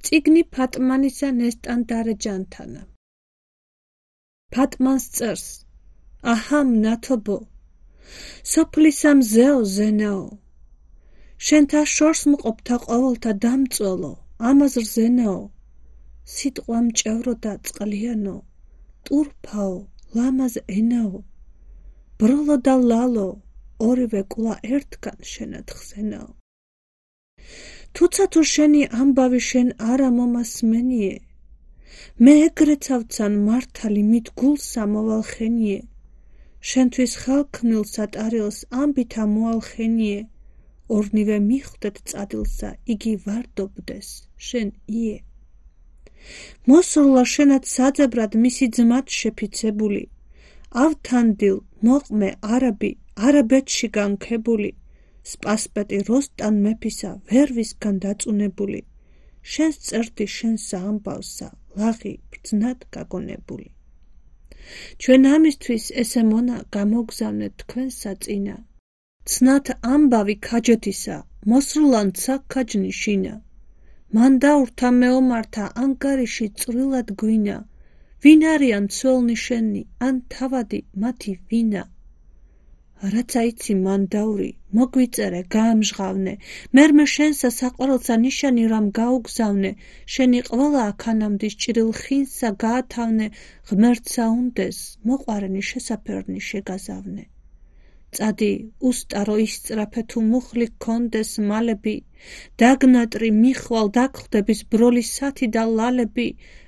წიგნი ფატმანისა ნესტან დარეჯანთანა. ფატმანს წერს: აჰამ ნათობო, სოფლისა მზეო ზენაო, შენთა შორს მყოფთა ყოველთა დამწველო, ამაზრ ზენაო, სიტყვა მჭევრო და წყლიანო, ტურფაო, ლამაზ ენაო, ბროლო და ლალო, ორივე კულა ერთგან შენათხსენაო. თუცა თუ შენი ამბავი შენ არა მომასმენიე, მე ეგრეცავცან მართალი მით გულსა მოვალხენიე, შენთვის ხალხნილსა ტარილს ამბითა მოალხენიე, ორნივე მიხვდეთ წადილსა იგი ვარდობდეს შენ ие. მოსრლა შენად საძებრად მისი ძმად შეფიცებული, ავთანდილ მოყმე არაბი არაბეთში განქებული, სპასპეტი როსტან მეფისა ვერვისგან დაწუნებული, შენს წერდი შენსა ამბავსა ლაღი ბრძნად გაგონებული. ჩვენ ამისთვის ესე მონა გამოგზავნეთ თქვენსა წინა, ცნათ ამბავი ქაჯეთისა, მოსრლანცა ქაჯნიშინა, მან დაურთა მეომართა ანგარიში წვრილად გვინა, ვინ არიან ცველნი შენი, ან თავადი მათი ვინა. რაცა იცი მან დაური, მოგვიწერე, გაამჟღავნე, მერმე შენსა საყვარელსა ნიშანი რამ გაუგზავნე, შენი ყველა აქანამდის ჭრილ ხინსა გაათავნე, ღმერთსა უნდეს, მოყვარენი შესაფერნი შეგაზავნე. წადი, უსტარო ისწრაფე თუ მუხლი გქონდეს მალები, დაგნატრი მიხვალ დაგხვდების ბროლისათი და ლალები,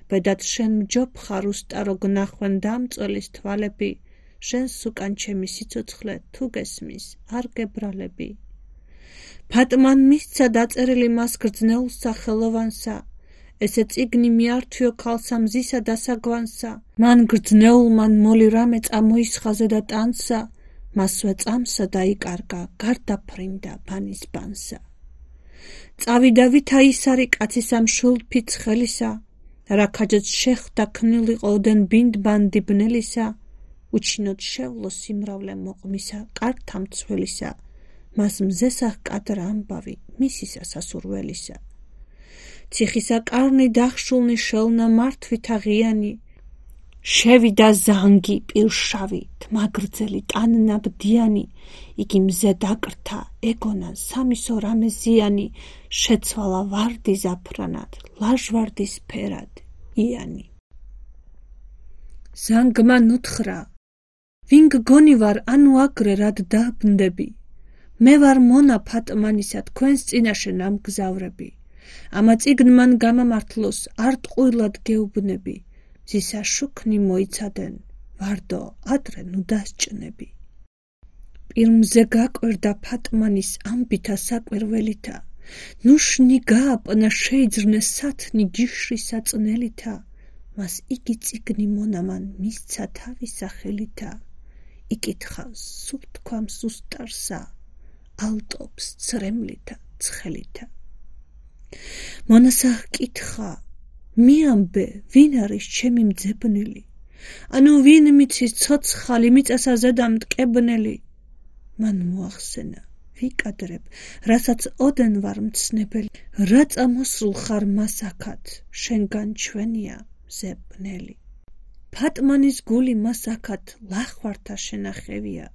ბედად შენ მჯობხარ უსტარო გნახვენ დამწველის თვალები, შენს უკან ჩემი სიცოცხლე თუ გესმის არ გებრალები. ფატმან მისცა დაწერილი მას გრძნეულსა ხელოვანსა, ესე წიგნი მიართვიო ქალსა მზისა დასაგვანსა, მან გრძნეულმან მოლი რამე წამოისხაზე და ტანსა, მასვე წამსა დაიკარგა, გარდაფრინდა ბანის ბანსა. წავიდა ვითა ისარი კაცისა მშულფიც ხელისა, რა ქაჯაც შეხვდა ქნილიყო ოდენ ბინდბანდი ბნელისა, უჩინოდ შევლო სიმრავლე მოყმისა, კართა მცველისა, მას მზესა ჰკადრა ამბავი მისისა სასურველისა. ციხისა კარნი დახშულნი შელნა მართვითა ღიანი, შევიდა ზანგი პირშავი, თმაგრძელი ტანნაბდიანი, იგი მზე დაკრთა, ეგონა სამისო რამე ზიანი, შეცვალა ვარდი ზაფრანად, ლაჟვარდის ფერად, იანი. ზანგმა ნუთხრა, ვინ გგონი ვარ, ანუ აგრე რად დაბნდები, მე ვარ მონა ფატმანისა თქვენს წინაშე ნამგზავრები, ამა წიგნმან გამამართლოს არ ტყუილად გეუბნები, ზისა შუქნი მოიცადენ, ვარდო ადრე ნუ დასჭნები. პირმზე გაკვირდა ფატმანის ამბითა საკვირველითა, ნუშნი გააპნა შეიძრნე სათნი ჯიშრისა წნელითა, მას იგი წიგნი მონამან მისცა თავისა ხელითა, იკითხავს სულ თქვამს უსტარსა, ალტობს ცრემლითა ცხელითა. მონასა ჰკითხა, მიამბე, ვინ არის ჩემი მძებნელი, ანუ ვინ მიცის ცოცხალი მიწასა ზედა მტკებნელი. მან მოახსენა, ვიკადრებ, რასაც ოდენ ვარ მცნებელი, რა წამოსრულ ხარ მასაქად, შენგან ჩვენია მზებნელი. ფატმანის გული მასაქად ლახვართა შენახევია,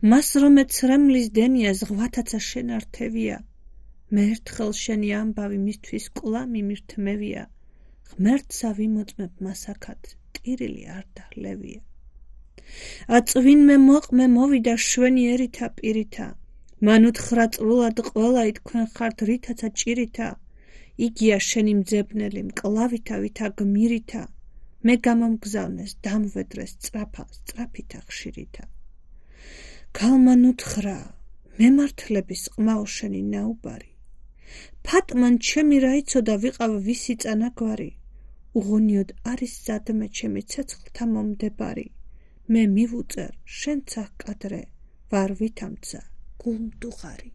მას რომე ცრემლის დენია ზღვათაცა შენართევია, მე ერთხელ შენი ამბავი მისთვის კულა მიმირთმევია, ღმერთსა ვიმოწმებ მასაქად, ტირილი არ დაღლევია. აწვინმე მოყმე მოვიდა შვენიერითა პირითა, მან უთხრა წრულად ყველაი თქვენ ხართ რითაცა ჭირითა, იგია შენი მძებნელი მკლავითა ვითა გმირითა, მე გამომგზავნეს დამვედრეს სწრაფა სწრაფითა ხშირითა. ქალმან უთხრა, მემართლების ყმაო შენი ნაუბარი, ფატმან ჩემი რა იცოდა ვიყავ ვისი წანაგვარი, უღონიოდ არის სადმე ჩემი ცეცხლთა მომდებარი, მე მივუწერ შენცა ჰკადრე, ვარ ვითამცა გულმდუღარი.